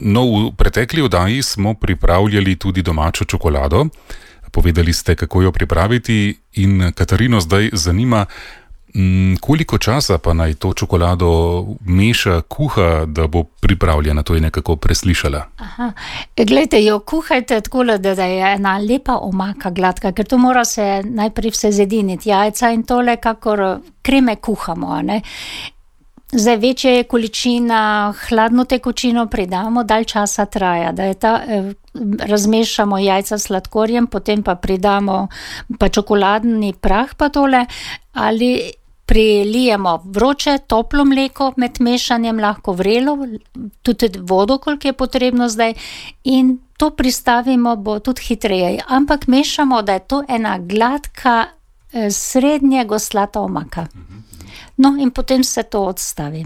No, v pretekli oddaji smo pripravljali tudi domačo čokolado. Povedali ste, kako jo pripraviti, in Katarino zdaj zanima, koliko časa pa naj to čokolado meša, kuha, da bo pripravljena. To je nekako preslišala. Glejte, jo kuhajte tako, da je ena lepa omaka gladka, ker to mora se najprej vse zediniti, jajca in tole, kakor kreme kuhamo, ne. Zdaj, večja je količina, hladno tekočino pridamo, dalj časa traja, da je razmešamo jajca s sladkorjem, potem pa pridamo pa čokoladni prah pa tole, ali prilijemo vroče, toplo mleko med mešanjem, lahko vrelo, tudi vodo, koliko je potrebno zdaj, in to pristavimo, bo tudi hitreje. Ampak mešamo, da je to ena gladka, srednje goslata omaka. No, in potem se to odstavi.